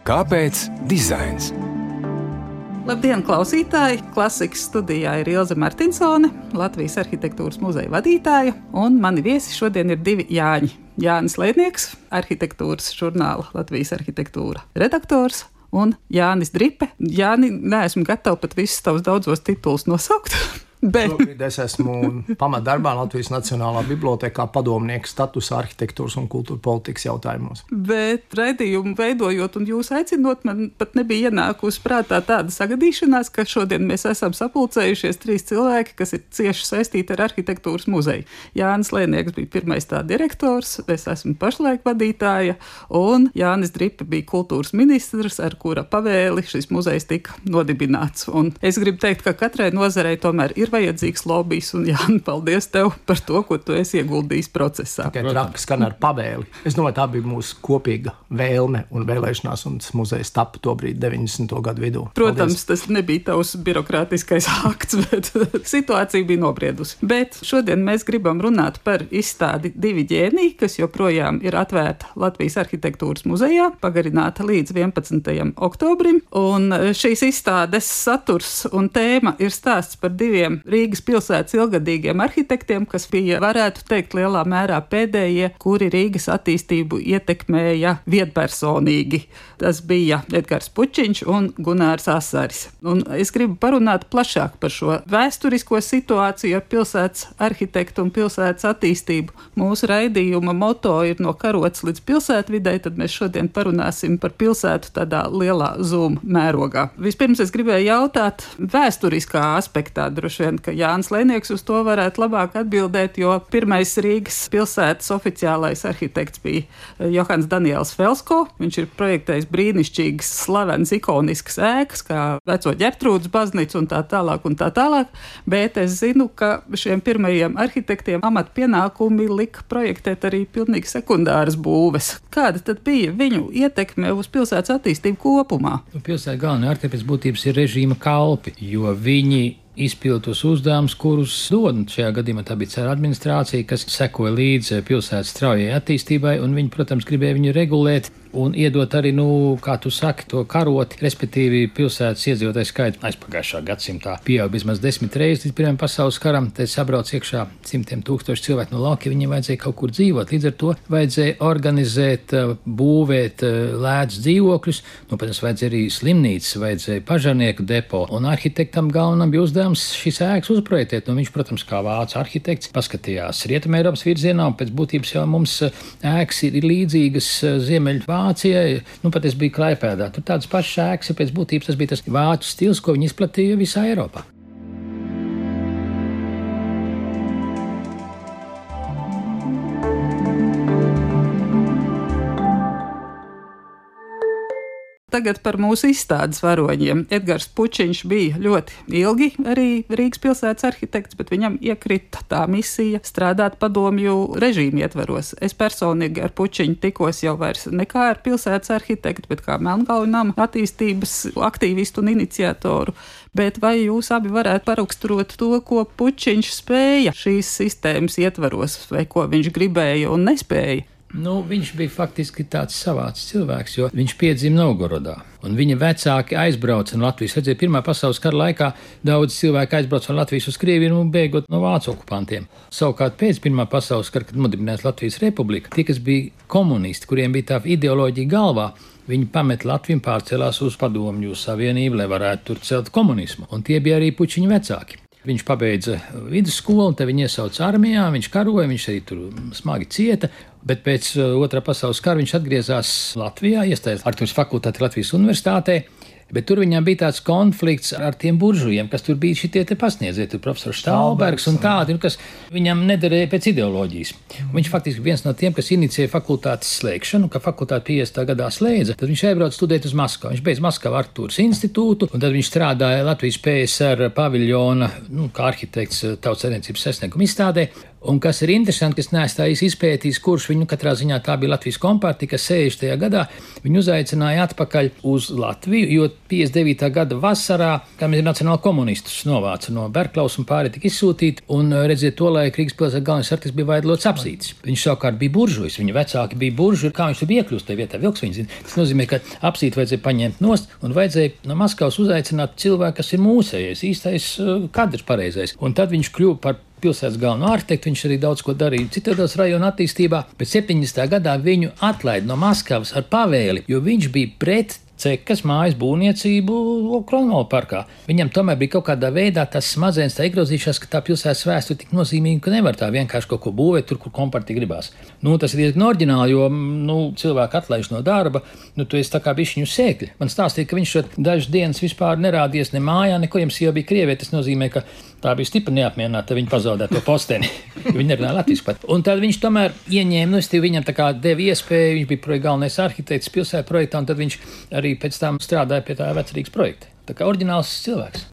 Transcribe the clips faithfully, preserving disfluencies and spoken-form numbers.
Kāpēc dizains? Labdien, klausītāji! Klasikas studijā ir Ilze Martinsone, Latvijas arhitektūras muzeja vadītāja, un mani viesi šodien ir divi Jāņi. Jānis Leidnieks, arhitektūras žurnāla Latvijas arhitektūra redaktors, un Jānis Dripe. Jāni, neesmu gatava pat visus tavus daudzos titulus nosaukt. Bet... Šobrīd es esmu pamatdarbā Latvijas Nacionālā bibliotēkā padomnieka statusā arhitektūras un kultūra politikas jautājumos. Bet raidījumu veidojot un jūs aicinot, man pat nebija ienākusi prātā tāda sagadīšanās, ka šodien mēs esam sapulcējušies trīs cilvēki, kas ir cieši saistīti ar arhitektūras muzeju. Jānis Leidnieks bija pirmais tā direktors, es esmu pašlaik vadītāja, un Jānis Dripe bija kultūras ministrs, ar kura pavēli šis muzejs tika nodibināts. Un es gribu teikt, ka katrai nozarei tomēr ir vajadzīgs lobijs, un Jāni, paldies tev par to, ko tu esi ieguldījis procesā. Tikai traki skan ar pavēli. Es domāju, tā bija mūsu kopīga vēlme un vēlēšanās, un tas muzejs tapa tobrīd deviņdesmito gadu vidū. Protams, paldies. Tas nebija tavs birokrātiskais akts, bet situācija bija nobriedusi. Bet šodien mēs gribam runāt par izstādi Divi ģēniji, kas joprojām ir atvērta Latvijas arhitektūras muzejā, pagarināta līdz vienpadsmitajam oktobrim, un šīs izstādes saturs un tēma ir stāsts par diviem Rīgas pilsētas ilgadīgiem arhitektiem, kas bija, varētu teikt, lielā mērā pēdējie, kuri Rīgas attīstību ietekmēja viedpersonīgi. Tas bija Edgars Pučiņš un Gunārs Asaris. Un es gribu parunāt plašāk par šo vēsturisko situāciju ar pilsētas arhitektu un pilsētas attīstību. Mūsu raidījuma moto ir no karotes līdz pilsētvidei, tad mēs šodien parunāsim par pilsētu tādā lielā zoom mērogā. Vispirms es gribēju jautāt vēsturiskā aspektā, droši vien, ka Jānis Leidnieks uz to varētu labāk atbildēt, jo pirmais Rīgas pilsētas oficiālais arhitekts bija Johans Daniels Felsko. Viņš ir projektējis brīnišķīgas, slavenas, ikoniskas ēkas, kā veco Ģertrūdes baznīcu un tā tālāk un tā tālāk, bet es zinu, ka šiem pirmajiem arhitektiem amatpienākumi lika projektēt arī pilnīgi sekundāras būves. Kāda tad bija viņu ietekme uz pilsētas attīstību kopumā? Pilsētas galvenie arhitekti pēc būtības ir režīma kalpi, jo viņi izpildītos uzdevumus, kurus dod. Šajā gadījumā tā bija cara administrācija, kas sekoja līdzi pilsētas straujai attīstībai, un viņi, protams, gribēja viņu regulēt un iedot arī, nu, kā tu saki, to karoti, respektīvi pilsētas iedzīvotāju skaitu aizpagājušā gadsimtā pieaug vismaz desmit reizes līdz Pirmajam pasaules karam, tad sabrauc iekšā simtiem tūkstoši cilvēku no lauka, viņiem vajadzēja kaut kur dzīvot. Līdz ar to vajadzēja organizēt, būvēt lētus dzīvokļus, nu, protams, vajadzēja arī slimnīcas, vajadzēja pažarnieku depo, un arhitektam galvenam bija uzdevums šīs ēkas uzprojektēt. Nu, viņš, protams, kā vācu arhitekts, paskatījās Rietumē Eiropas virzienā, un pēc būtības jau mums ēkas ir līdzīgas Ziemeļu Vācijai. Nu, pat es biju Klaipēdā. Tur tādas pašas ēkas, ja pēc būtības tas bija tas vācu stils, ko viņi izplatīja visā Eiropā. Tagad par mūsu izstādes varoņiem. Edgars Pučiņš bija ļoti ilgi arī Rīgas pilsētas arhitekts, bet viņam iekrita tā misija strādāt padomju režīmu ietveros. Es personīgi ar Pučiņu tikos jau vairs nekā ar pilsētas arhitektu, bet kā Melnkalju nama attīstības aktīvistu un iniciatoru. Bet vai jūs abi varētu paraksturot to, ko Pučiņš spēja šīs sistēmas ietveros, vai ko viņš gribēja un nespēja? Nu, viņš bija faktiski tāds savāds cilvēks, jo viņš piedzima Novgorodā. Un viņa vecāki aizbrauca no Latvijas. Redzēja, Pirmā pasaules kara laikā daudz cilvēku aizbrauca no Latvijas uz Krieviju un bēgot no vācu okupantiem. Savukārt pēc Pirmā pasaules kara, kad nodibinājās Latvijas republika, tie, kas bija komunisti, kuriem bija tā ideoloģija galvā, viņi pamet Latviju un pārcēlās uz Padomju Savienību, lai varētu tur celt komunismu. Un tie bija arī Pučiņa vecāki. Viņš pabeidza vidusskolu, un te viņu iesauca armijā, viņš karoja, viņš arī tur smagi cieta, bet pēc Otrā pasaules kara viņš atgriezās Latvijā, iestājās arhitektūras fakultātē Latvijas universitātē, bet tur viņam bija tāds konflikts ar tiem buržujiem, kas tur bija šitie te pasniedziet, tur profesors Štālbergs un tādi, kas viņam nederēja pēc ideoloģijas. Un viņš faktiski viens no tiem, kas inicēja fakultātes slēgšanu, ka fakultāte piecdesmitā gadā slēdza, tad viņš aizbrauca studēt uz Maskavu. Viņš beidz Maskavu arhitektūras institūtu, un tad viņš strādāja Latvijas P S R paviljona, nu, kā arhitekts tautssaimniecības sasnieguma izstādē. Un kas ir interesanti, kas neesmu tā īsti izpētījis, kurš viņu katrā ziņā tā bija Latvijas kompartija, kas sešdesmitajā gadā viņu uzaicināja atpakaļ uz Latviju, jo piecdesmit devītā gada vasarā, kam ir nacionāli komunistus novāca no Berklaus un pārējie tika izsūtīti, un redziet, to laik Rīgas pilsētas galvenais arhitekts bija Vaidlots Apsītis. Viņš savukārt bija buržujs, viņa vecāki bija buržuji, kā viņš tur bija iekļūst tajā vietā, vilks viņa zina. Tas nozīmē, ka Apsīti vajadzēja paņemt nost un vajadzēja no Maskavas uzaicināt cilvēku, kas ir mūsējais, īstais kadrs pareizais. Un tad viņš kļuva par pilsētas galveno arhitektu, viņš arī daudz ko darīja citādos rajona attīstībā, bet septiņdesmitajā gadā viņu atlaida no Maskavas ar pavēli, jo viņš bija pret cekas mājas būvniecību Kronvalda parkā. Viņam tomēr bija kaut kādā veidā tas smadzenes tā iegrozījušās, ka tā pilsētas vēsture tik nozīmīga, ka nevar tā vienkārši kaut ko būvēt tur, kur kompartija gribās. Nu, tas ir diezgan oriģināli, jo, nu, cilvēku atlaiž no darba, nu, tu esi tā kā bišķiņu sēkļi. Man stāstīja, ka viņš dažas dienas vispār nerādies ne mājā, neko, jums jau bija Krievijā, tas nozīmē, ka tā bija stipri neapmierināta, viņa pazaudēja to posteni. Viņa nerunāja latviski pat. Un tad viņš tomēr ieņēma, nu, es tev viņam tā kā deva iespēju, viņš bija projekta galvenais arhitekts pilsētas projektā, un tad viņš arī pēc tam strādāja pie tā Vecrīgas projekta. Tā kā oriģināls cilvēks.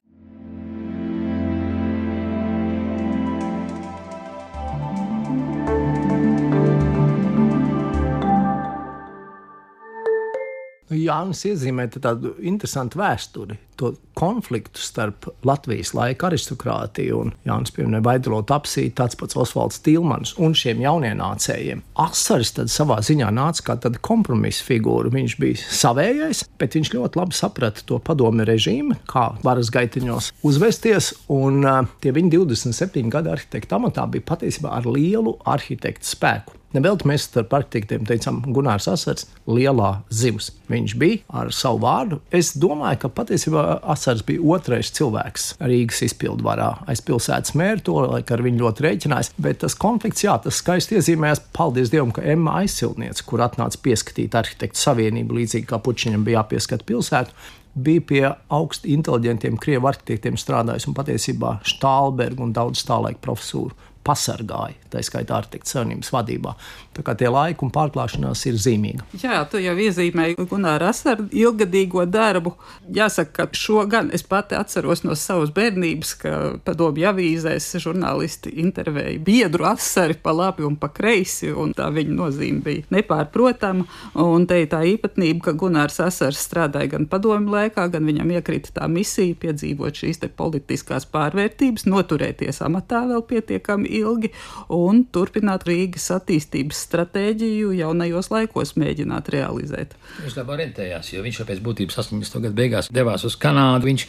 Jānis iezīmē tādu interesantu vēsturi, to konfliktu starp Latvijas laika aristokrātiju un Jānis pieminēja Vaidlotu Apsīti, tāds pats Osvalds Tilmans un šiem jaunienācējiem. Asars tad savā ziņā nāca kā tāda kompromisa figūra. Viņš bija savējais, bet viņš ļoti labi saprata to padomi režīmu, kā varas gaitiņos uzvesties, un uh, tie viņa divdesmit septiņi gadi arhitekta amatā bija patiesībā ar lielu arhitektu spēku. Nevelti mēs starp arhitektiem teicām, Gunārs Asars lielā zivs. Viņš bija ar savu vārdu. Es domāju, ka patiesībā Asars bija otrais cilvēks Rīgas izpildvarā. Aiz pilsētas mēra to, laik ar viņu ļoti rēķinājās, bet tas konflikts, jā, tas skaisti iezīmējās, paldies Dievam, ka Emma Aizsilniece, kur atnāca pieskatīt arhitektu savienību, līdzīgi kā Pučiņam bija jāpieskat pilsētu, bija pie augsti inteliģentiem krievu arhitektiem strādājis un patiesībā Štālbergu un daudz tā laika profesūru pasargāja, tā skaitā arhitektu savienības vadībā. Tā kā tie laiki un pārklāšanās ir zīmīga. Jā, tu jau iezīmēji Gunāra Asara ilgadīgo darbu. Jāsaka, ka šo gan es pati atceros no savas bērnības, ka padomju avīzēs žurnālisti intervēja biedru Asari pa labi un pa kreisi, un tā viņa nozīme bija nepārprotama. Un te ir tā īpatnība, ka Gunārs Asars strādāja gan padomju laikā, gan viņam iekrita tā misija piedzīvot šīs te politiskās pārvērtības, noturēties amatā vēl pietiekami ilgi un turpināt Rīgas attīstības stratēģiju jaunajos laikos mēģināt realizēt. Viņš tā orientējās, jo viņš jau pēc būtības astoņdesmito gadu beigās devās uz Kanādu. Viņš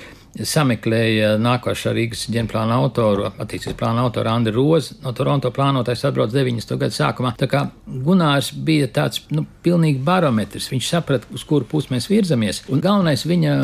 sameklēja nākošā Rīgas ģenerālplāna autoru, attīstības plāna autoru Andri Rozi. No Toronto plānotājs atbrauc deviņdesmito gadu sākumā. Tā kā Gunārs bija tāds, nu, pilnīgi barometrs. Viņš saprata, uz kuru pusi mēs virzamies. Un galvenais viņa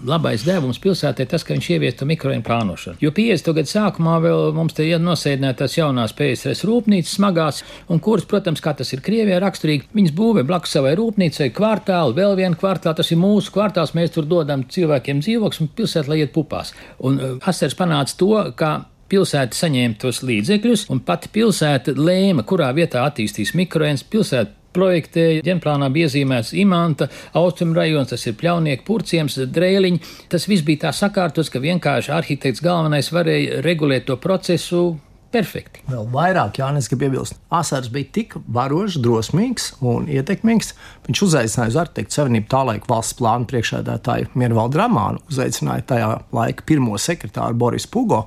labais devums pilsētē tas, ka viņš ievies to mikrorajonu plānošanu. Jo piecdesmito gadu sākumā vēl mums te nosēdināja tās jaunās P S R S rūpnīcas smagās, un kuras, protams, kā tas ir Krievijā raksturīgi, viņas būvē blakus savai rūpnīcai kvartālu, vēl vienu kvartālu, tas ir mūsu kvartāls, mēs tur dodam cilvēkiem dzīvokļus un pilsētu, lai iet pupās. Un uh, Asars panāca to, ka pilsēta saņēma tos līdzekļus, un pati pilsēta lēma, kurā vietā attīstīs mikrorajons. Pilsēta projektēja, ģenerālplānā bija iezīmēts Imanta, Austrumu rajons, tas ir Pļaunieku, Purciems, Drēliņi. Tas viss bija tā sakārtots, ka vienkārši arhitekts galvenais varēja regulēt to procesu perfekti. Vēl vairāk, Jānis, grib iebilst. Asars bija tik varošs, drosmīgs un ietekmīgs. Viņš uzaicināja uz arhitektu savienību tā laika valsts plānu priekšsēdētāju Miervaldu Ramānu, uzaicināja tajā laika pirmo sekretāru Borisu Pugo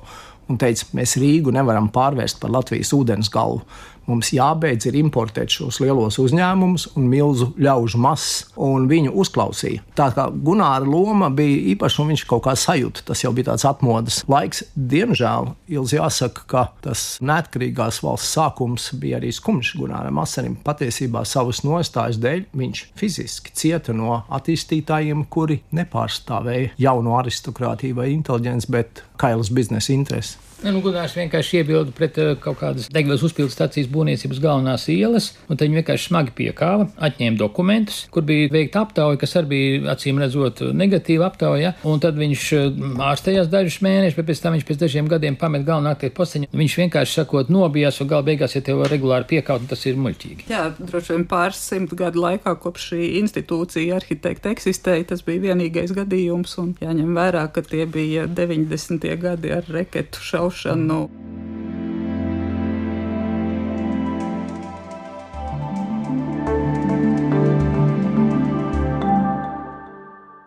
un teica, mēs Rīgu nevaram pārvērst par Latvijas ūdens galvu. Mums jābeidz ir importēt šos lielos uzņēmumus un milzu ļaužu masas, un viņu uzklausīja. Tā kā Gunāra loma bija īpaša, un viņš kaut kā sajūta, tas jau bija tāds atmodas laiks. Diemžēl, Ilzi, jāsaka, ka tas neatkarīgās valsts sākums bija arī skumjš Gunāram Asarim. Patiesībā savas nostājas dēļ viņš fiziski cieta no attīstītājiem, kuri nepārstāvēja jauno aristokrātiju vai inteliģenci, bet kailas biznesa intereses. Ne, nu, Gunārs vienkārši iebilda pret uh, kaut kādas degvielas uzpildes stacijas būvniecības galvenās ielas, un tad viņi vienkārši smagi piekāva, atņēma dokumentus, kur bija veikta aptauja, kas arī bija acīm redzot negatīva aptauja, un tad viņš uh, ārstējās dažus mēnešus, bet pēc tam viņš pēc dažiem gadiem pamet galvenā arhitekta posteņu. Viņš vienkārši sakot nobijās, un gala beigās, ja tev regulāri piekāut, tas ir muļķīgi. Jā, droši vien pāris simt gadu laikā, kopš šī institūcija arhitekta eksistēja, tas bija vienīgais gadījums, un jāņem vērā, ka tie bija deviņdesmitie gadi ar reketu šaušanu.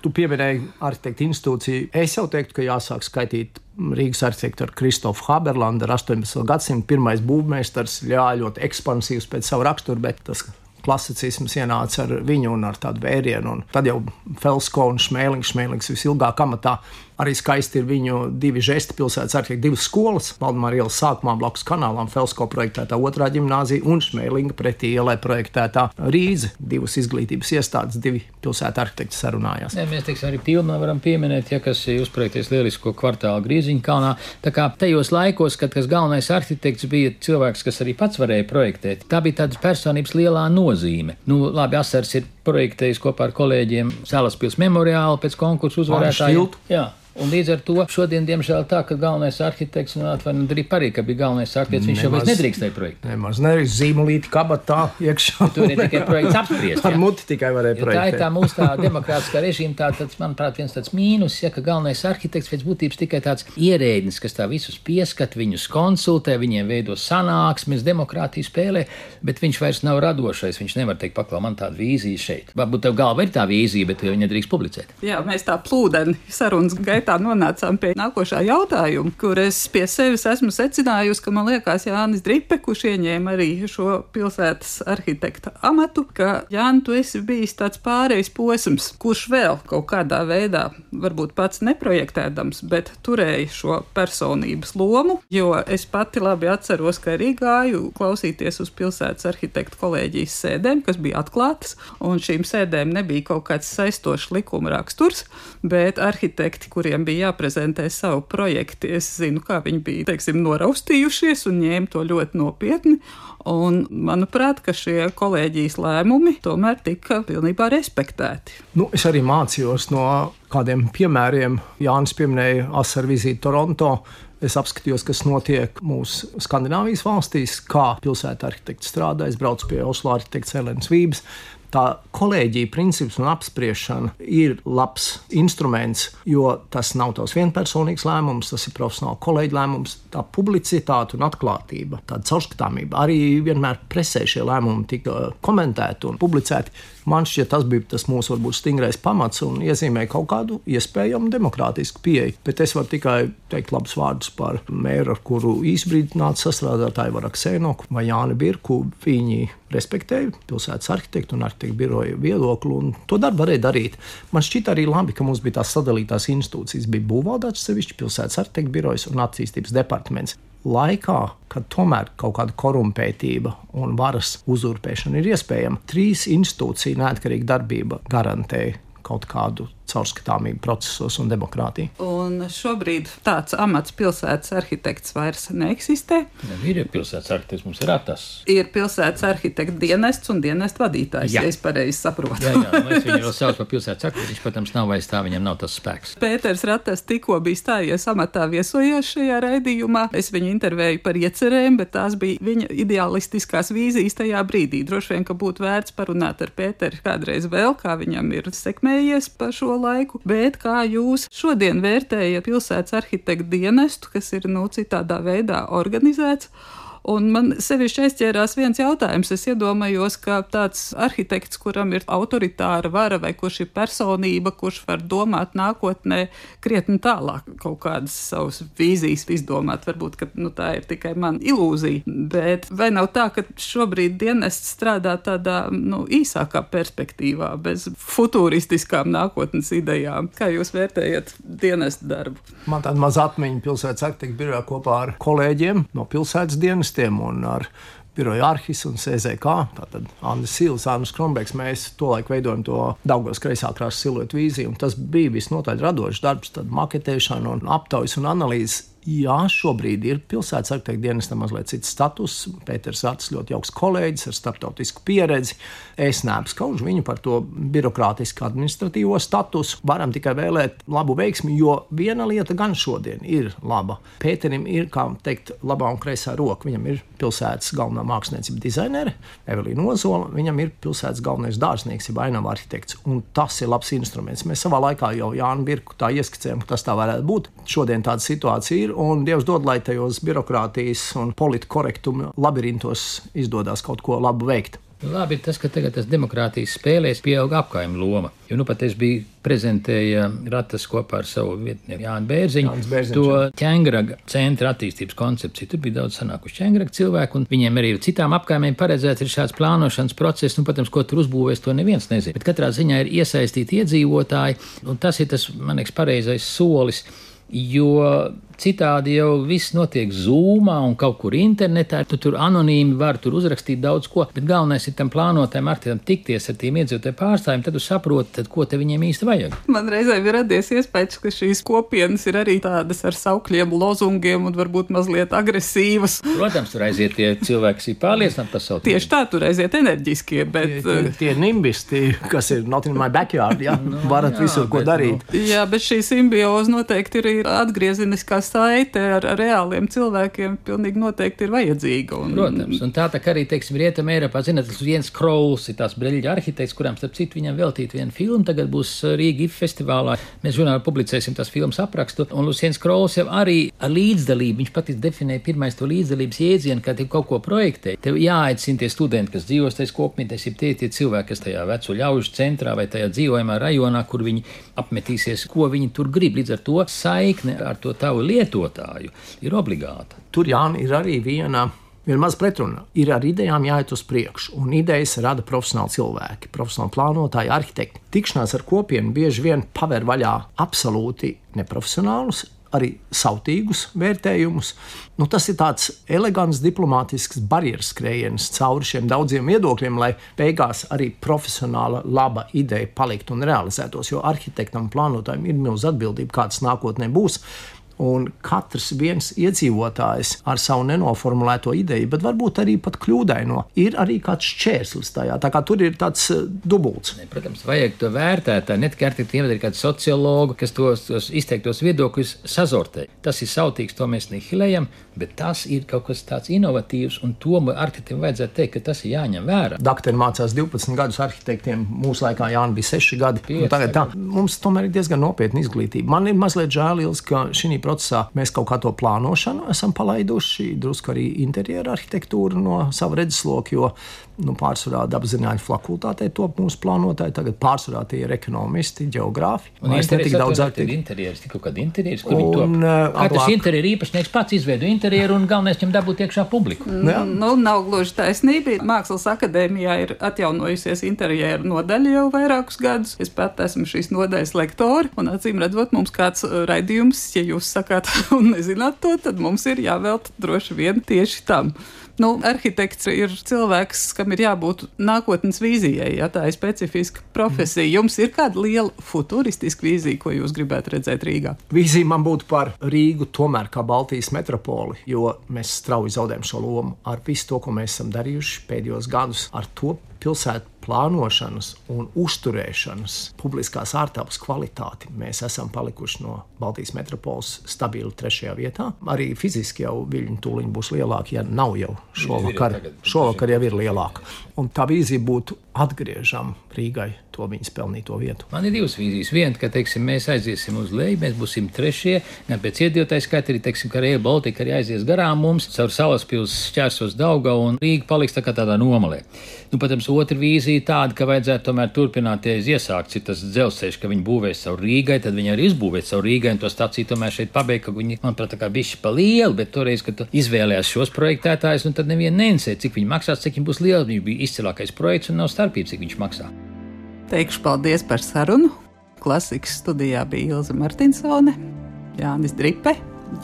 Tu pieminēji arhitektu institūciju. Es jau teiktu, ka jāsāk skaitīt Rīgas arhitektu ar Kristofu Haberlandu, ar astoņpadsmitā gadsimta pirmais būvmeistars, jā, ļoti ekspansīvs pēc savu raksturu, bet tas klasicisms ienāca ar viņu un ar tādu vērienu. Un tad jau Felsko un Šmēlings, Šmēlings visilgāk amatā. Arī skaisti ir viņu divi žesti pilsētas arhitekti, divas skolas. Valdemāra ielas sākumā blakus kanālām Felsko projektētā otrā ģimnāzija un Šmēlinga pretī ielai projektētā Rīdze. Divas izglītības iestādes, divi pilsētu arhitekti sarunājās. Jā, mēs teiksim, arī Pilnā varam pieminēt, ja kas uzprojekties lielisko kvartālu Grīziņkalnā. Tā kā tajos laikos, kad kas galvenais arhitekts bija cilvēks, kas arī pats varēja projektēt, tā bija tādas personības lielā nozīme. Nu, labi, Asars ir projektējis kopā ar kolēģiem Salaspils memoriālu pēc konkursu uzvarētājiem. Jā. Un līdz ar to šodien, diemžēl, tā, ka galvenais arhitekts, un atvainojiet, arī parīk, ka bija galvenais arhitekts, viņš jau vairs nedrīkstēja projektu. Nemaz nedrīkst zīmolīti kabatā iekšā. Tur ir tikai projekts apspriest. Ar muti tikai varēja ja projektēt. Tā ir tā mūsu tā demokrātiskā režīma, tā, tāds, manuprāt, viens tāds mīnus, ja, ka galvenais arhitekts pēc būtības tikai tāds ierēdnis, kas tā visus pieskat, viņus konsultē, viņiem veido sanāksmes, demokrātiju spēlē, bet viņš vairs nav radošais, viņš nevar teikt, paklau, man tāda vīzija šeit. Varbūt tev galva ir tā vīzija, bet viņa nedrīkst publicēt. Jā, mēs tā plūdeni sarunas gaitā nonācām pie nākošā jautājuma, kur es pie sevis esmu secinājusi, ka man liekas Jānis Dripe, kurš ieņēma arī šo pilsētas arhitekta amatu, ka Jāni, tu esi bijis tāds pārejas posms, kurš vēl kaut kādā veidā, varbūt pats neprojektēdams, bet turēja šo personības lomu, jo es pati labi atceros, ka arī gāju klausīties uz pilsētas arhitektu kolēģijas sēdēm, kas bija atklātas, un šīm sēdēm nebija kaut kāds saistošs likuma raksturs, bet arhitekti, kuriem bija jāprezentē savu projektu, es zinu, kā viņi bija, teiksim, noraustījušies un ņēma to ļoti nopietni. Un, manuprāt, ka šie kolēģijas lēmumi tomēr tika pilnībā respektēti. Nu, es arī mācījos no kādiem piemēriem. Jānis pieminēja Asaru vizīti Toronto. Es apskatījos, kas notiek mūsu Skandināvijas valstīs, kā pilsēta arhitekti strādā. Es braucu pie Oslo arhitekts Elenas Vības. Tā kolēģija princips un apspriešana ir labs instruments, jo tas nav tavs vienpersonīgs lēmums, tas ir profesionāli kolēģi lēmums, tā publicitāte un atklātība, tāda caurskatāmība. Arī vienmēr presē šie lēmumi tika komentēti un publicēti. Man šķiet, tas bija tas mūsu varbūt stingrais pamats un iezīmē kaut kādu iespējamu demokrātisku pieeju. Bet es varu tikai teikt labus vārdus par mēru, ar kuru īsbrīd nāca sastrādāt Aivaru Aksēnoku vai Jāni Birku. Viņi respektēja pilsētas arhitektu un arhitektu biroja viedokli, un to darbu varēja darīt. Man šķita arī labi, ka mums bija tās sadalītās institūcijas. Bija būvvaldāts sevišķi pilsētas arhitektu birojas un attīstības departaments. Laikā, kad tomēr kaut kāda korumpētība un varas uzurpēšana ir iespējama, trīs institūciju neatkarīga darbība garantēja kaut kādu caurskatāmību procesos un demokrātiju. Un šobrīd tāds amats pilsētas arhitekts vairs neeksistē. Ne, ir pilsētas arhitekts, mums ir atas. Ir pilsētas arhitekta dienests un dienestu vadītājs, Jā. ja es pareizi saprotu. Jā, jā, mēs viņu vēl sauc par pilsētas arhitektu, viņš, protams, nav vairs tā, viņam nav tas spēks. Pēters Ratas tikko bija stājies amatā, viesojās šajā raidījumā. Es viņu intervēju par iecerēm, bet tās bija viņa idealistiskās vīzijas tajā brīdī. Droši vien, ka būtu vērts parunāt ar Pēteri kādreiz vēl, kā viņam ir sekmējies pa šo laiku, bet kā jūs šodien vērtējat pilsētas arhitektu dienestu, kas ir, nu, citādā veidā organizēts? Un man sevišķi aizķērās viens jautājums. Es iedomājos, ka tāds arhitekts, kuram ir autoritāra vara vai kurš ir personība, kurš var domāt nākotnē krietni tālāk, kaut kādas savas vīzijas izdomāt. Varbūt, ka nu, tā ir tikai mana ilūzija. Bet vai nav tā, ka šobrīd dienests strādā tādā nu, īsākā perspektīvā, bez futuristiskām nākotnes idejām? Kā jūs vērtējat dienestu darbu? Man tāda maza atmiņa pilsētas arhitektu birojā kopā ar kolēģiem no pilsētas dienestiem un ar biroju Arhis un C Z K, tātad Andris Sīls, Andris Kronbergs. Mēs tolaik veidojam to Daugavas kreisā krasta siluetu vīziju, un tas bija visnotaļ radošs darbs, tad maketēšana un aptaujas un analīzes. Jā, šobrīd ir pilsētas arhitektu dienestam mazliet cits status. Pēters Ratas ļoti jauks kolēģis ar starptautisku pieredzi. Es neapskaužu viņu par to birokrātisku administratīvo statusu. Varam tikai vēlēt labu veiksmi, jo viena lieta gan šodien ir laba. Pēterim ir, kā teikt, labā un kreisā roka. Viņam ir pilsētas galvenā māksliniecība dizainere, Evelīna Ozola. Viņam ir pilsētas galvenais dārznieks, ir ainava arhitekts. Un tas ir labs instruments. Mēs savā laikā jau Jānu Birku tā ieskicējām, ka tas tā varētu būt. Šodien tāda situācija ir. Un Dievs dod, lai tajos birokrātijas un politkorektuma labirintos izdodas kaut ko labu veikt. Labi ir tas, ka tagad tas demokrātijas spēlēs pieauga apkaimju loma. Jo nu pat es biju prezentēja Ratas kopā ar savu vietnieku Jānu Bērziņu to ķengraga centra attīstības koncepciju. Tur bija daudz sanākuši ķengraga cilvēku, un viņiem arī citām apkaimēm paredzēts ir šāds plānošanas process. Nu, protams, ko tur uzbūvēs, to neviens nezina. Bet katrā ziņā ir iesaistīti iedzīvotāji, un tas ir tas, man liekas, pareizais solis, jo citādi jau viss notiek Zoomā un kaut kur internetā. Tu tur anonīmi var tur uzrakstīt daudz ko, bet galvenais ir tam plānotājiem arhitektam tikties ar tiem iedzīvotāju pārstāvjiem, tad tu saproti, tad, ko te viņiem īsti vajag. Man reizēm ir radies iespējas, ka šīs kopienas ir arī tādas ar saukļiem, lozungiem un varbūt mazliet agresīvas. Protams, tur aiziet tie cilvēki, kas ir pārliecināti par savu. Tieši tā, tur aiziet enerģiskie, bet... Tie, tie, tie nimbisti, kas ir not in my backyard, jā, no, varat jā, visur ko bet, darīt. No. Jā, bet šī simbioze noteikti ir atgriezeniskā saite ar, ar reāliem cilvēkiem pilnīgi noteikti ir vajadzīga. Un... Protams, un tā tā arī, teiksim, Rietumē Eiropā, zināt, tas Jens Krauls ir tās Breļģa arhitekts, kurām starp citu viņam veltīt vienu filmu, tagad būs Rīga I F festivālā. Mēs žurnālā publicēsim tās filmas aprakstu, un Jens Krauls jau arī ar līdzdalību, viņš pat definēja pirmais to līdzdalības jēdzienu, kā tev kaut ko projektē. Tev jāaicina tie studenti, kas dzīvos tajās kopmītēs, ir tie, tie cilvēki, kas tajā veco ļaužu centrā vai tajā dzīvojamā rajonā, kur viņi apmetīsies, ko viņi tur grib. Līdz ar to saikne ar to tavu lietotāju ir obligāta. Tur, Jāni, ir arī viena, viena maz pretruna. Ir ar idejām jāiet uz priekšu, un idejas rada profesionāli cilvēki, profesionāli plānotāji, arhitekti. Tikšanās ar kopienu bieži vien paver vaļā absolūti neprofesionālus, arī sautīgus vērtējumus. Nu, tas ir tāds elegants, diplomātisks barjeras skrējiens cauri šiem daudziem viedokļiem, lai beigās arī profesionāla laba ideja paliktu un realizētos, jo arhitektam un plānotājiem ir milz atbildība, kāds nākotnē būs. Un katrs viens iedzīvotājs ar savu nenoformulēto ideju, bet varbūt arī pat kļūdaino, ir arī kāds šķērslis tajā. Tā kā tur ir tāds uh, dubults. Ne, protams, vajag to vērtēt. Ne tikai arhitektiem, bet arī kāds sociologu, kas tos, tos izteiktos viedokļus sazortē. Tas ir sautīgs, to mēs nihilējam, bet tas ir kaut kas tāds inovatīvs, un to arhitektiem vajadzētu teikt, ka tas ir jāņem vērā. Dakteri mācās divpadsmit gadus arhitektiem, mūsu laikā Jāni bija seši gadi. Pieci, tagad tā, mums tomēr ir diezgan nopietna izglītība. Man ir mazliet žēl, ka šī procesā mēs kaut kā to plānošanu esam palaiduši, drusku arī interjera arhitektūru no sava redzesloka, jo nu, pārsvarā dabaszinātņu fakultātē top mūsu plānotāji, tagad pārsvarā tie ir ekonomisti, ģeogrāfi. Un interjeras daudz arhitekti. Interjeras, tik kaut kādi interjeras, kur viņi top. Katrs interjeru īpašnieks pats izveido interjeru un galvenais viņam dabūt iekšā publiku. Nu, nu, nav gluži taisnība. Mākslas akadēmijā ir atjaunojusies interjeru nodaļa jau vairākus gadus. Es pat esmu šīs nodaļas lektori, un acīm redzot mums kāds raidījums, ja jūs sakāt un nezināt to, tad mums ir jāvēlta droši vien tieši tam. Nu, arhitekts ir cilvēks, kam ir jābūt nākotnes vīzijai, ja tā ir specifiska profesija. Jums ir kāda liela futuristiska vīzija, ko jūs gribētu redzēt Rīgā? Vīzija man būtu par Rīgu tomēr kā Baltijas metropoli, jo mēs strauji zaudējam šo lomu ar visu to, ko mēs esam darījuši pēdējos gadus, ar to pilsētu plānošanas un uzturēšanas publiskās ārtelpas kvalitāti. Mēs esam palikuši no Baltijas metropoles stabili trešajā vietā. Arī fiziski jau viļņu tūliņi būs lielāki, ja nav jau šovakar. Šovakar jau ir lielāka. Un tā vīzija būtu atgriežam Rīgai to viņas pelnīto vietu. Man ir divas vīzijas. Viena, ka, teiksim, mēs aiziesim uz leju, mēs būsim trešie, gan pēc iedzīvotāju skaita, arī, teiksim, ka Rail Baltica arī aizies garām mums, caur Salaspils šķērsos Daugavu un Rīga paliks tā kā tādā nomalē. Nu, protams, otra vīzija tāda, ka vajadzētu tomēr turpināt, ja iesākts ir tas dzelzceļš, ka viņi būvēs savu Rīgai, tad viņi arī izbūvēt savu Rīgai un to staciju tomēr šeit pabeigt, ka viņi, manuprāt, tā kā bišķi pa lielu, bet toreiz, kad tu izvēlējās šos projektētājus, un tad neviena neinsē, cik viņi maksās, cik viņi būs lieli. Viņš bija izcilākais projekts un nav starpības, cik viņš maksā. Teikšu paldies par sarunu. Klasikas studijā bija Ilze Martinsone, Jānis Dripe,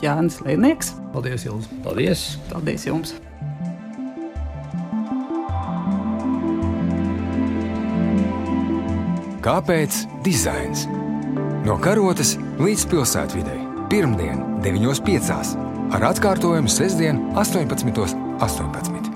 Jānis Lēnieks. Paldies, Ilze. Paldies. Paldies jums. Kāpēc dizains? No karotes līdz pilsētvidei. Pirmdien deviņos piecās ar atkārtojumu sestdien astoņpadsmitos astoņpadsmit.